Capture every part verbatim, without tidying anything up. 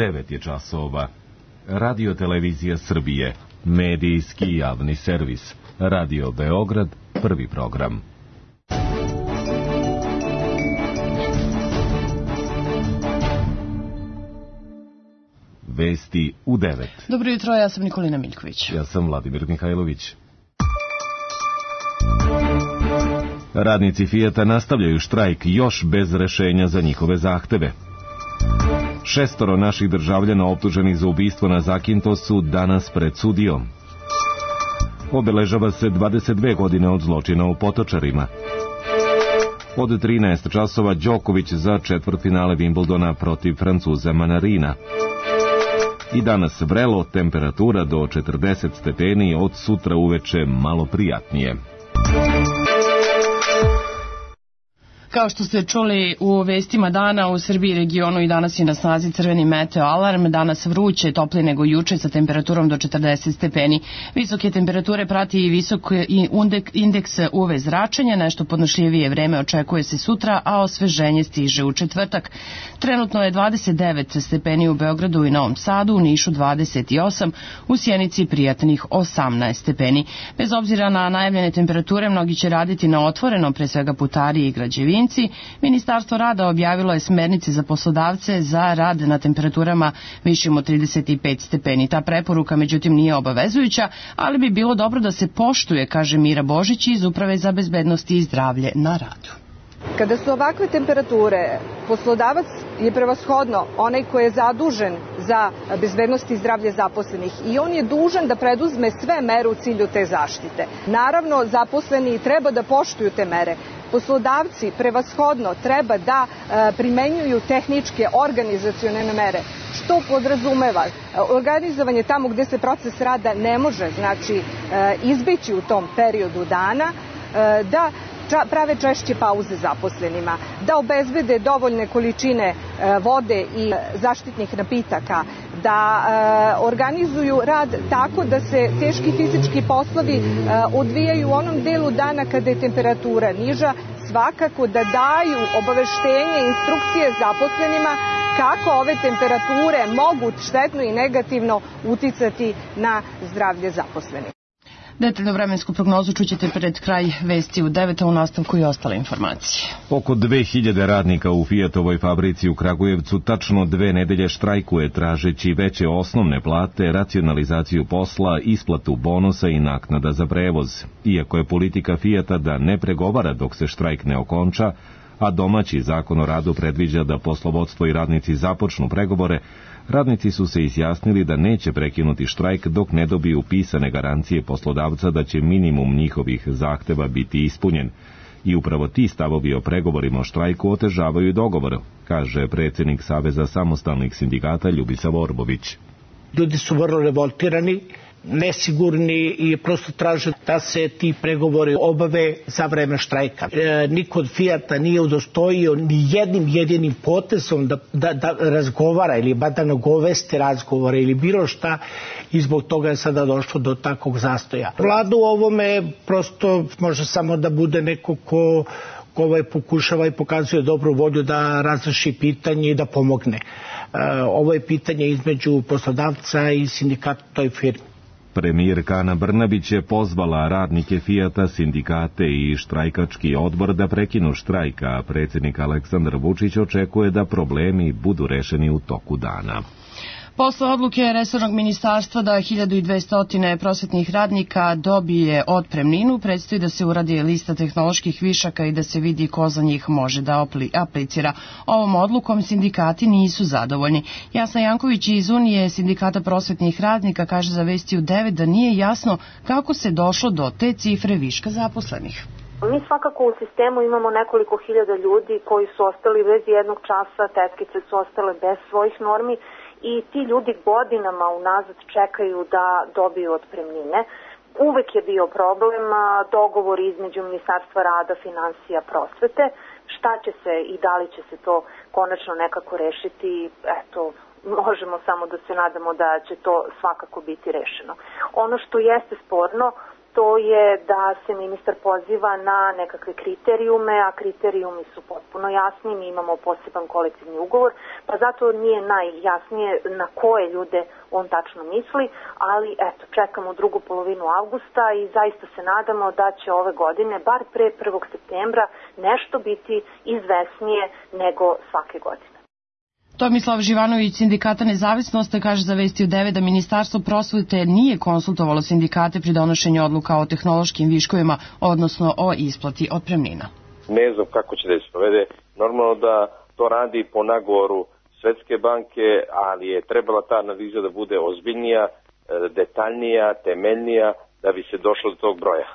devet je časova. Radio Televizija Srbije, medijski javni servis. Radio Beograd, prvi program. Vesti u devet. Dobro jutro, ja sam Nikolina Miljković. Ja sam Vladimir Mihajlović. Radnici Fijata nastavljaju štrajk još bez rešenja za njihove zahteve. Šestoro naših državljana optuženih za ubistvo na Zakintosu danas pred sudijom. Obeležava se dvadeset dve godine od zločina u Potočarima. Od trinaest časova Đoković za četvrtfinale Wimbledona protiv Francuza Manarina. I danas vrelo, temperatura do četrdeset stepeni, od sutra uveče malo prijatnije. Kao što ste čuli u vestima dana, u Srbiji i regionu i danas je na snazi crveni meteo alarm. Danas vruće, toplije nego juče sa temperaturom do četrdeset stepeni. Visoke temperature prati i visok indeks U V zračenja, nešto podnošljivije vreme očekuje se sutra, a osveženje stiže u četvrtak. Trenutno je dvadeset devet stepeni u Beogradu i Novom Sadu, u Nišu dvadeset osam, u Sjenici prijatnih osamnaest stepeni. Bez obzira na najavljene temperature, mnogi će raditi na otvorenom, pre svega putari i građevini. Ministarstvo rada objavilo je smernice za poslodavce za rad na temperaturama višim od trideset pet stepeni. Ta preporuka, međutim, nije obavezujuća, ali bi bilo dobro da se poštuje, kaže Mira Božić iz Uprave za bezbednost i zdravlje na radu. Kada su ovakve temperature, poslodavac je prevashodno onaj koji je zadužen za bezbednost i zdravlje zaposlenih i on je dužan da preduzme sve mere u cilju te zaštite. Naravno, zaposleni treba da poštuju te mere. Poslodavci prevashodno treba da e, primenjuju tehničke organizacione mere, što podrazumeva organizovanje tamo gde se proces rada ne može, znači e, izbeći u tom periodu dana, e, da ča, prave češće pauze zaposlenima, da obezbede dovoljne količine e, vode i zaštitnih napitaka, da e, organizuju rad tako da se teški fizički poslovi e, odvijaju u onom delu dana kada je temperatura niža, svakako da daju obaveštenje, instrukcije zaposlenima kako ove temperature mogu štetno i negativno uticati na zdravlje zaposlenih. Detaljnu vremensku prognozu čućete pred kraj vesti u devet, a u nastavku i ostale informacije. Oko dve hiljade radnika u Fijatovoj fabrici u Kragujevcu tačno dve nedelje štrajkuje tražeći veće osnovne plate, racionalizaciju posla, isplatu bonusa i naknada za prevoz. Iako je politika Fijata da ne pregovara dok se štrajk ne okonča, a domaći zakon o radu predviđa da poslovodstvo i radnici započnu pregovore, radnici su se izjasnili da neće prekinuti štrajk dok ne dobiju pisane garancije poslodavca da će minimum njihovih zahteva biti ispunjen. I upravo ti stavovi o pregovorima o štrajku otežavaju dogovor, kaže predsjednik Saveza samostalnih sindikata Ljubisa Vorbović. Ljudi su vrlo revoltirani, nesigurni i prosto traže da se ti pregovori obave za vreme štrajka. E, niko od Fijata nije udostojio ni jednim jedinim potezom da, da, da razgovara ili ba da nagovesti razgovore ili bilo šta, i zbog toga je sada došlo do takvog zastoja. Vlada u ovome prosto može samo da bude neko ko ko ovaj pokušava i pokazuje dobru volju da razreši pitanje i da pomogne. E, ovo je pitanje između poslodavca i sindikata toj firmi. Premijerka Ana Brnabić je pozvala radnike Fijata, sindikate i štrajkački odbor da prekinu štrajka, a predsjednik Aleksandar Vučić očekuje da problemi budu rešeni u toku dana. Posle odluke resornog ministarstva da hiljadu dvesta prosvetnih radnika dobije otpremninu, predstoji da se uradi lista tehnoloških višaka i da se vidi ko za njih može da aplicira. Ovom odlukom sindikati nisu zadovoljni. Jasna Janković iz Unije sindikata prosvetnih radnika kaže za Vesti u devet da nije jasno kako se došlo do te cifre viška zaposlenih. Mi svakako u sistemu imamo nekoliko hiljada ljudi koji su ostali bez jednog časa, tetkice su ostale bez svojih normi, i ti ljudi godinama unazad čekaju da dobiju otpremnine. Uvek je bio problem dogovor između Ministarstva rada, finansija, prosvete. Šta će se i da li će se to konačno nekako rešiti, eto, možemo samo da se nadamo da će to svakako biti rešeno. Ono što jeste sporno to je da se ministar poziva na nekakve kriterijume, a kriterijumi su potpuno jasni, mi imamo poseban kolektivni ugovor, pa zato nije najjasnije na koje ljude on tačno misli, ali eto, čekamo drugu polovinu avgusta i zaista se nadamo da će ove godine, bar pre prvog septembra, nešto biti izvesnije nego svake godine. Tomislav Živanović, Sindikata Nezavisnost, kaže za Vesti u devet da Ministarstvo prosvete nije konsultovalo sindikate pri donošenju odluka o tehnološkim viškovima, odnosno o isplati otpremnina. Ne znam kako će da se sprovede. Normalno da to radi po nagovoru Svetske banke, ali je trebala ta analiza da bude ozbiljnija, detaljnija, temeljnija, da bi se došlo do tog broja.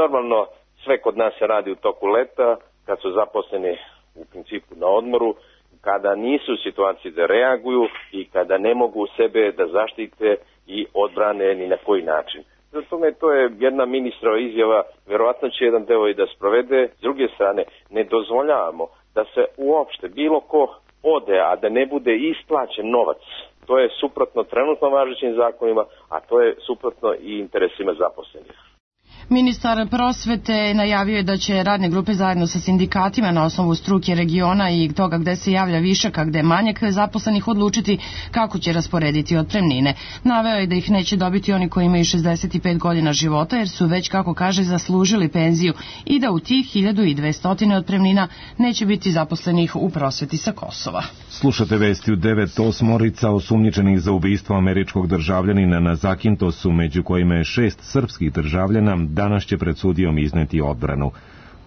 Normalno sve kod nas se radi u toku leta, kad su zaposleni u principu na odmoru, kada nisu u situaciji da reaguju i kada ne mogu sebe da zaštite i odbrane ni na koji način. Zato me to je jedna ministrova izjava, verovatno će jedan deo i da sprovede. S druge strane, ne dozvoljavamo da se uopšte bilo ko ode, a da ne bude isplaćen novac. To je suprotno trenutno važećim zakonima, a to je suprotno i interesima zaposlenih. Ministar prosvete najavio je da će radne grupe zajedno sa sindikatima na osnovu struke regiona i toga gde se javlja višak, a gde manjak zaposlenih odlučiti kako će rasporediti otpremnine. Naveo je da ih neće dobiti oni koji imaju šezdeset pet godina života jer su već, kako kaže, zaslužili penziju i da u tih hiljadu dvesta otpremnina neće biti zaposlenih u prosveti sa Kosova. Slušate Vesti u devet. Osmorica osumnjičenih za ubistvo američkog državljanina na Zakintosu, među kojima je šest srpskih državljana, danas će pred sudijom izneti odbranu.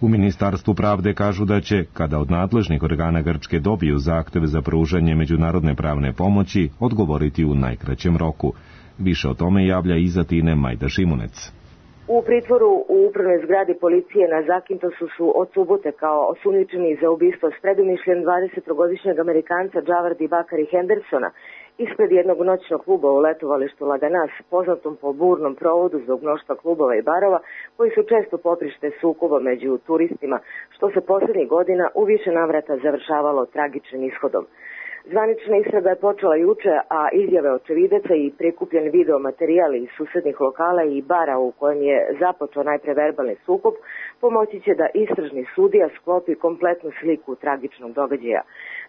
U Ministarstvu pravde kažu da će, kada od nadležnih organa Grčke dobiju zahtev za pružanje međunarodne pravne pomoći, odgovoriti u najkraćem roku. Više o tome javlja iz Atine Majda Šimunec. U pritvoru u upravnoj zgradi policije na Zakintosu su od subote kao osumnjičeni za ubistvo s predumišljem dvadesetogodišnjeg Amerikanca Džavardi Bakari Hendersona ispred jednog noćnog kluba u letovalištu Laganas, poznatom po burnom provodu zbog mnoštva klubova i barova koji su često poprište sukoba među turistima, što se poslednjih godina u više navrata završavalo tragičnim ishodom. Zvanična istraga je počela juče, a izjave očevidaca i prikupljen video materijal iz susednih lokala i bara u kojem je započeo najpre verbalni sukob pomoći će da istražni sudija sklopi kompletnu sliku tragičnog događaja.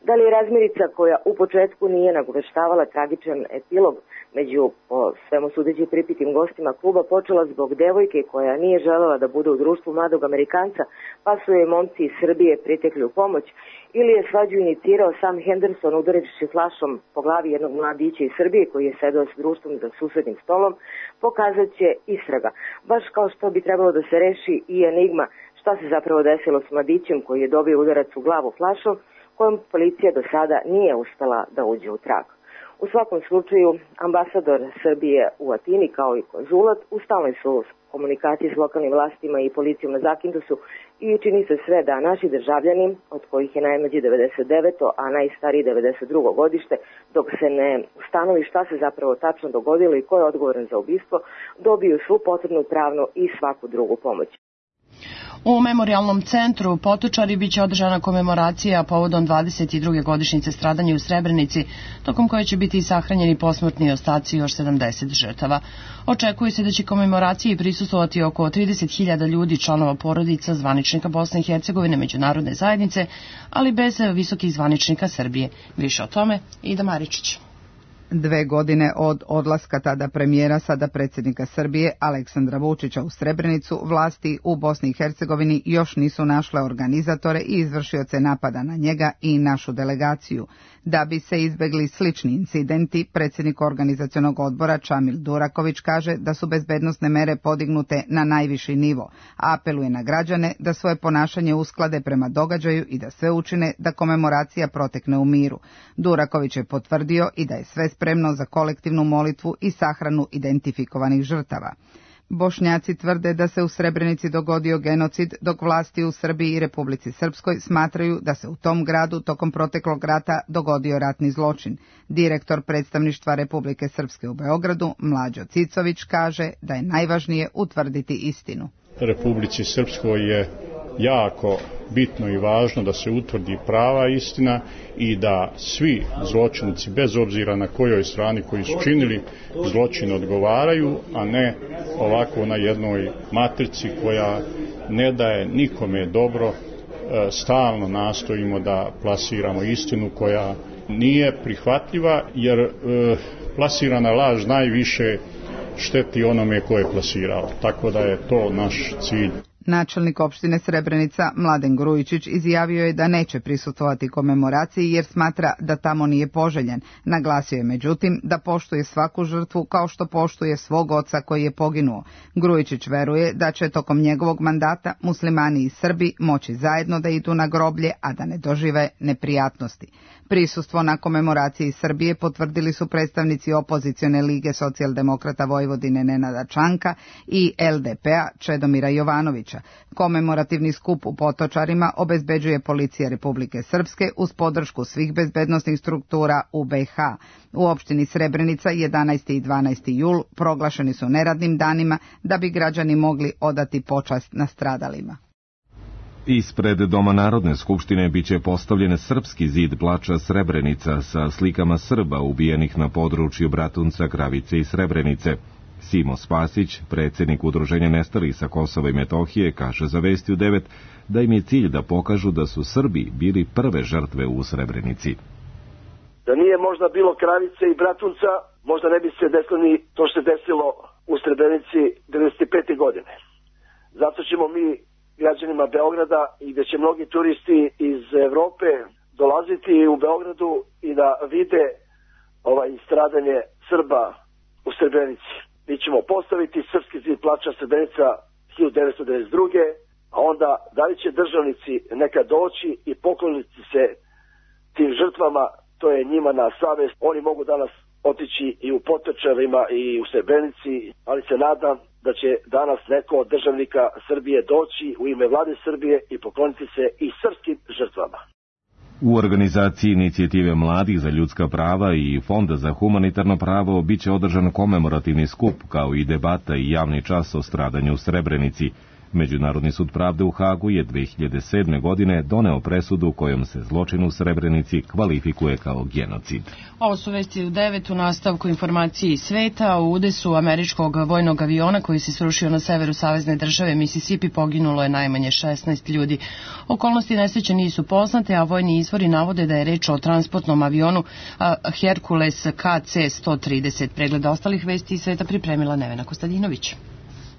Da li je razmirica koja u početku nije nagoveštavala tragičan epilog među po svemu sudeći pripitim gostima kluba počela zbog devojke koja nije želela da bude u društvu mladog Amerikanca, pa su je momci iz Srbije pritekli u pomoć, ili je svađu inicirao sam Henderson udareći flašom po glavi jednog mladića iz Srbije koji je sedao s društvom za susednim stolom, pokazat će istraga. Baš kao što bi trebalo da se reši i enigma šta se zapravo desilo s mladićem koji je dobio udarac u glavu flašom, kojom policija do sada nije uspela da uđe u trag. U svakom slučaju, ambasador Srbije u Atini kao i konzulat u stalnoj su komunikaciji s lokalnim vlastima i policijom na Zakintosu i čini se sve da naši državljani, od kojih je najmlađi devedeset deveto a najstariji devedeset drugo godište, dok se ne ustanovi šta se zapravo tačno dogodilo i ko je odgovoran za ubistvo, dobiju svu potrebnu pravnu i svaku drugu pomoć. U Memorijalnom centru Potočari biće održana komemoracija povodom dvadeset druge godišnjice stradanja u Srebrenici, tokom koje će biti sahranjeni posmrtni ostaci još sedamdeset žrtava. Očekuje se da će komemoraciji prisustvovati oko trideset hiljada ljudi, članova porodica, zvaničnika Bosne i Hercegovine, međunarodne zajednice, ali bez visokih zvaničnika Srbije. Više o tome Ida Maričić. Dve godine od odlaska tada premijera, sada predsjednika Srbije, Aleksandra Vučića u Srebrenicu, vlasti u Bosni i Hercegovini još nisu našle organizatore i izvršioce napada na njega i našu delegaciju. Da bi se izbegli slični incidenti, predsjednik organizacionog odbora Čamil Duraković kaže da su bezbednosne mere podignute na najviši nivo, a apeluje na građane da svoje ponašanje usklade prema događaju i da sve učine da komemoracija protekne u miru. Duraković je potvrdio i da je sve spremno za kolektivnu molitvu i sahranu identifikovanih žrtava. Bošnjaci tvrde da se u Srebrenici dogodio genocid, dok vlasti u Srbiji i Republici Srpskoj smatraju da se u tom gradu tokom proteklog rata dogodio ratni zločin. Direktor predstavništva Republike Srpske u Beogradu, Mlađo Cicović, kaže da je najvažnije utvrditi istinu. Republici Srpskoj je jako bitno i važno da se utvrdi prava istina i da svi zločinci, bez obzira na kojoj strani koji su činili zločin, odgovaraju, a ne ovako na jednoj matrici koja ne daje nikome dobro. Stalno nastojimo da plasiramo istinu koja nije prihvatljiva, jer e, plasirana laž najviše šteti onome ko je plasirao. Tako da je to naš cilj. Načelnik opštine Srebrenica Mladen Grujičić izjavio je da neće prisustvovati komemoraciji jer smatra da tamo nije poželjen. Naglasio je međutim da poštuje svaku žrtvu kao što poštuje svog oca koji je poginuo. Grujičić veruje da će tokom njegovog mandata muslimani i Srbi moći zajedno da idu na groblje, a da ne dožive neprijatnosti. Prisustvo na komemoraciji Srbije potvrdili su predstavnici opozicione lige Socijaldemokrata Vojvodine Nenada Čanka i el de pe-a Čedomira Jovanovića. Komemorativni skup u Potočarima obezbeđuje Policija Republike Srpske uz podršku svih bezbednosnih struktura u be i ha. U opštini Srebrenica jedanaesti i dvanaesti jul proglašeni su neradnim danima da bi građani mogli odati počast nastradalima. Ispred Doma Narodne skupštine biće postavljen srpski zid plača Srebrenica sa slikama Srba ubijenih na području Bratunca, Kravice i Srebrenice. Simo Spasić, predsjednik Udruženja nestalih sa Kosova i Metohije, kaže za Vesti u devet da im je cilj da pokažu da su Srbi bili prve žrtve u Srebrenici. Da nije možda bilo Kravice i Bratunca, možda ne bi se desilo ni to što se desilo u Srebrenici devedeset pete godine. Zato ćemo mi građanima Beograda i gde će mnogi turisti iz Evrope dolaziti u Beogradu i da vide ovaj stradanje Srba u Srebrenici. Mi ćemo postaviti srpski zid plača Srebrenica hiljadu devetsto devedeset druge. a onda da li će državnici nekad doći i pokloniti se tim žrtvama, to je njima na savest. Oni mogu danas otići i u Potočarima i u Srebrenici, ali se nadam da će danas neko od državnika Srbije doći u ime vlade Srbije i pokloniti se i srpskim žrtvama. U organizaciji Inicijative mladih za ljudska prava i Fonda za humanitarno pravo biće održan komemorativni skup kao i debata i javni čas o stradanju u Srebrenici. Međunarodni sud pravde u Hagu je dve hiljade sedme. godine doneo presudu kojom se zločin u Srebrenici kvalifikuje kao genocid. Ovo su vesti u devet u nastavku informacije iz sveta. U udesu američkog vojnog aviona koji se srušio na severu savezne države Mississippi poginulo je najmanje šesnaest ljudi. Okolnosti nesreće nisu poznate, a vojni izvori navode da je reč o transportnom avionu Hercules ka ce sto trideset. Pregled ostalih vesti iz sveta pripremila Nevena Kostadinović.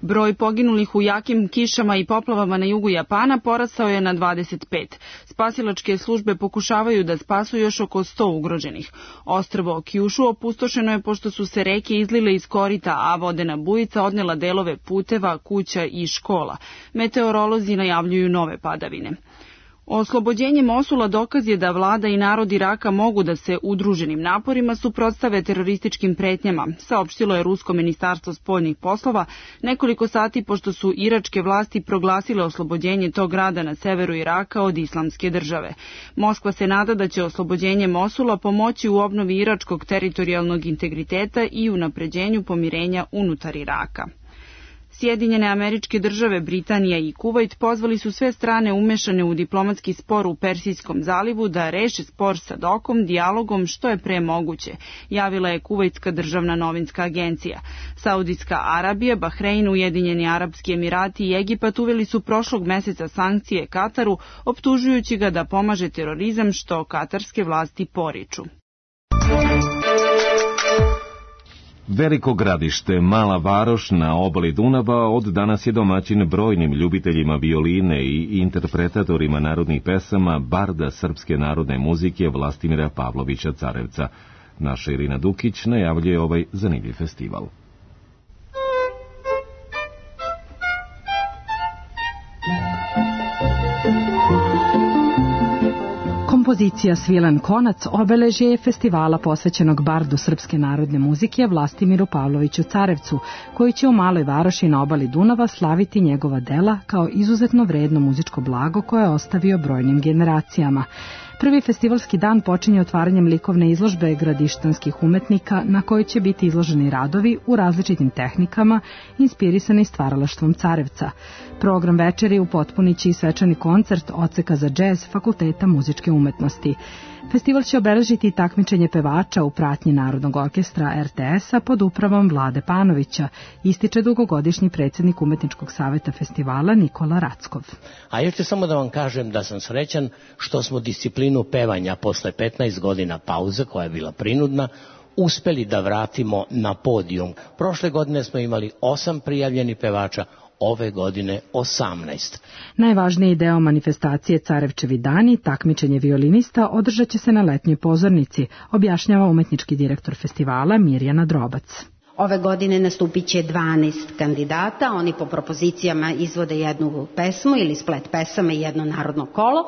Broj poginulih u jakim kišama i poplavama na jugu Japana porastao je na dvadeset pet. Spasilačke službe pokušavaju da spasu još oko sto ugroženih. Ostrvo Kyushu opustošeno je pošto su se reke izlile iz korita, a vodena bujica odnela delove puteva, kuća i škola. Meteorolozi najavljuju nove padavine. Oslobođenje Mosula dokaz je da vlada i narod Iraka mogu da se udruženim naporima suprotstave terorističkim pretnjama, saopštilo je Rusko ministarstvo spoljnih poslova nekoliko sati pošto su iračke vlasti proglasile oslobođenje tog grada na severu Iraka od islamske države. Moskva se nada da će oslobođenje Mosula pomoći u obnovi iračkog teritorijalnog integriteta i unapređenju pomirenja unutar Iraka. Sjedinjene Američke Države, Britanija i Kuvajt pozvali su sve strane umešane u diplomatski spor u Persijskom zalivu da reše spor sa dokom, dijalogom što je pre moguće, javila je Kuvajtska državna novinska agencija. Saudijska Arabija, Bahrein, Ujedinjeni Arapski Emirati i Egipat uveli su prošlog meseca sankcije Kataru, optužujući ga da pomaže terorizam što katarske vlasti poriču. Veliko Gradište, mala varoš na obali Dunava, od danas je domaćin brojnim ljubiteljima violine i interpretatorima narodnih pesama barda srpske narodne muzike Vlastimira Pavlovića Carevca. Naša Irina Dukić najavljuje ovaj zanimljiv festival. Kompozicija Svilen konac obeležje je festivala posvećenog bardu srpske narodne muzike Vlastimiru Pavloviću Carevcu, koji će u Maloj Varoši na obali Dunava slaviti njegova dela kao izuzetno vredno muzičko blago koje je ostavio brojnim generacijama. Prvi festivalski dan počinje otvaranjem likovne izložbe gradištanskih umetnika na kojoj će biti izloženi radovi u različitim tehnikama inspirisani stvaralaštvom Carevca. Program večeri upotpuniće i svečani koncert odseka za džez Fakulteta muzičke umetnosti. Festival će obeležiti takmičenje pevača u pratnji Narodnog orkestra er te es-a pod upravom Vlade Panovića, ističe dugogodišnji predsjednik Umetničkog saveta festivala Nikola Rackov. A još ću samo da vam kažem da sam srećan što smo disciplinu pevanja posle petnaest godina pauze, koja je bila prinudna, uspeli da vratimo na podijum. Prošle godine smo imali osam prijavljenih pevača, ove godine osamnaest. Najvažniji deo manifestacije Carevčevi dani, takmičenje violinista, održat će se na letnjoj pozornici, objašnjava umetnički direktor festivala Mirjana Drobac. Ove godine nastupit će dvanaest kandidata, oni po propozicijama izvode jednu pesmu ili splet pesama i jedno narodno kolo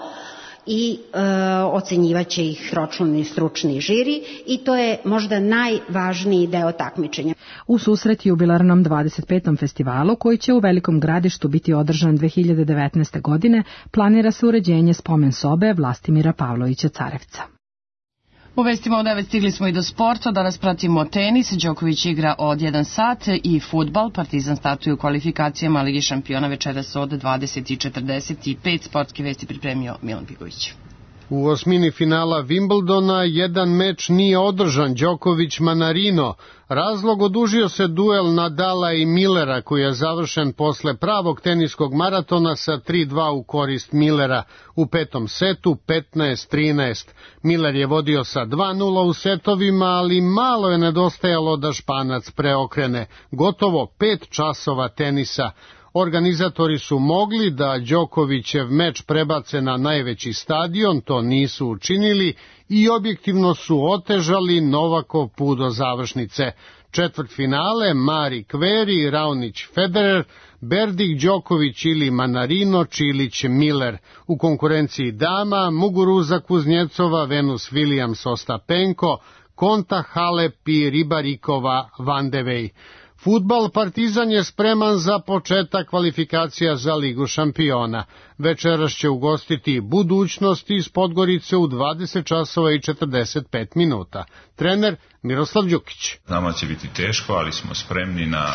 i e, ocenjivaće ih ročni stručni žiri i to je možda najvažniji deo takmičenja. U susret jubilarnom dvadeset petom festivalu, koji će u Velikom Gradištu biti održan dve hiljade devetnaeste. godine, planira se uređenje spomen sobe Vlastimira Pavlovića Carevca. U vestima u devet stigli smo i do sporta, danas pratimo tenis, Đoković igra od jedan sat i fudbal, Partizan startuje u kvalifikacijama Ligi šampiona večeras od dvadeset i četrdeset pet, sportske vesti pripremio Milan Pigović. U osmini finala Wimbledona jedan meč nije održan, Đoković-Manarino. Razlog odužio se duel Nadala i Millera, koji je završen posle pravog teniskog maratona sa tri dva u korist Millera. U petom setu petnaest trinaest. Miller je vodio sa dva nula u setovima, ali malo je nedostajalo da Španac preokrene. Gotovo pet časova tenisa. Organizatori su mogli da Đokovićev meč prebace na najveći stadion, to nisu učinili i objektivno su otežali Novakov put do završnice. Četvrtfinale Mari Kveri, Raonić Federer, Berdik Đoković ili Manarino, Čilić Miller. U konkurenciji dama Muguruza Kuznjecova, Venus Williams Ostapenko, Konta Halep i Ribarikova Van de Wey. Fudbal, Partizan je spreman za početak kvalifikacija za Ligu šampiona. Večeras će ugostiti Budućnost iz Podgorice u dvadeset časova i četrdeset pet minuta. Trener Miroslav Đukić. Nama će biti teško, ali smo spremni na,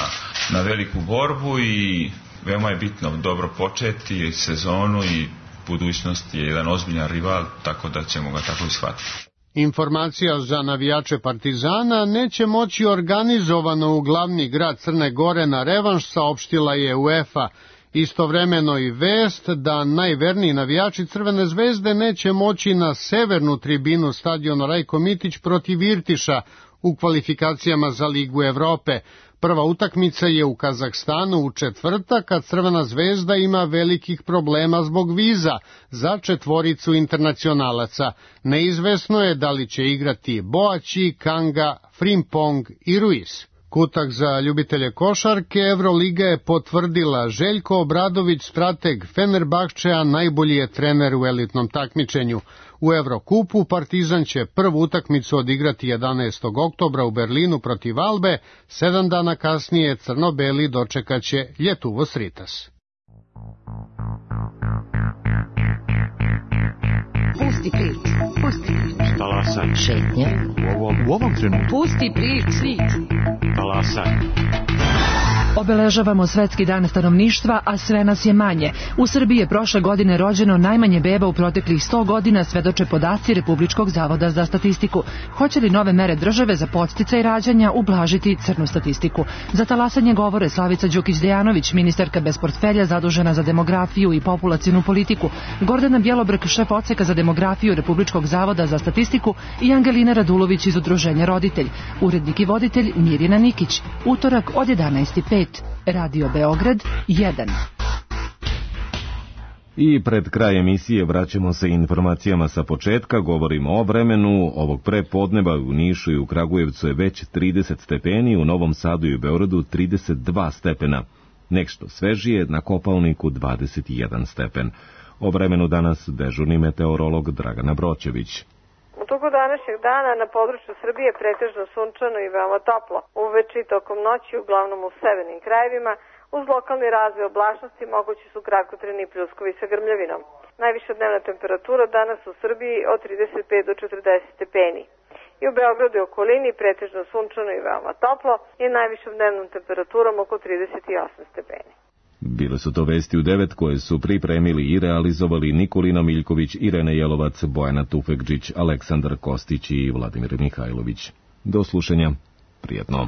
na veliku borbu i veoma je bitno dobro početi sezonu i Budućnost je jedan ozbiljan rival, tako da ćemo ga tako i shvatiti. Informacija za navijače Partizana: neće moći organizovano u glavni grad Crne Gore na revanš, saopštila je UEFA. Istovremeno i vest da najverniji navijači Crvene zvezde neće moći na severnu tribinu stadiona Rajko Mitić protiv Irtiša u kvalifikacijama za Ligu Evrope. Prva utakmica je u Kazahstanu u četvrtak, kad Crvena zvezda ima velikih problema zbog viza za četvoricu internacionalaca. Neizvesno je da li će igrati Boači, Kanga, Frimpong i Ruiz. Kutak za ljubitelje košarke: Evroliga je potvrdila Željko Obradović, strateg Fenerbahčea, najbolji je trener u elitnom takmičenju. U Evrokupu Partizan će prvu utakmicu odigrati jedanaestog oktobra u Berlinu protiv Albe, sedam dana kasnije crno-beli dočekaće Ljetuvos Ritas. Pusti priču, pusti priču. Talasaj. Šetnje. U ovom, u ovom trenutku. Pusti priču. Talasaj. Obeležavamo Svetski dan stanovništva, a sve nas je manje. U Srbiji je prošle godine rođeno najmanje beba u proteklih sto godina, svedoče podaci Republičkog zavoda za statistiku. Hoće li nove mere države za podsticaj rađanja ublažiti crnu statistiku? Za talasanje govore Slavica Đukić-Dejanović, ministarka bez portfelja zadužena za demografiju i populacionu politiku, Gordana Bjelobrk, šef odseka za demografiju Republičkog zavoda za statistiku i Angelina Radulović iz Udruženja Roditelj. Urednik i voditelj Mirjana Nikić. Utorak od jedanaest i pet. Radio Beograd jedan. I pred kraj emisije vraćamo se informacijama sa početka, govorimo o vremenu. Ovog prepodneva u Nišu i u Kragujevcu je već trideset stepeni, u Novom Sadu i u Beogradu trideset dva stepena. Nešto svežije na Kopaoniku dvadeset jedan stepen. O vremenu danas dežurni meteorolog Dragana Broćević. U toku današnjeg dana na području Srbije pretežno sunčano i veoma toplo. Uveče i tokom noći uglavnom u severnim krajevima, Uz lokalni razvoj oblačnosti mogući su kratkotrajni pljuskovi sa grmljavinom. Najviša dnevna temperatura danas u Srbiji od trideset pet do četrdeset stepeni. I u Beogradu i okolini pretežno sunčano i veoma toplo i najvišom dnevnom temperaturom oko trideset osam stepeni. Bile su to vesti u devet koje su pripremili i realizovali Nikolina Miljković, Irena Jelovac, Bojana Tufekđić, Aleksandar Kostić i Vladimir Mihajlović. Do slušanja. Prijetno.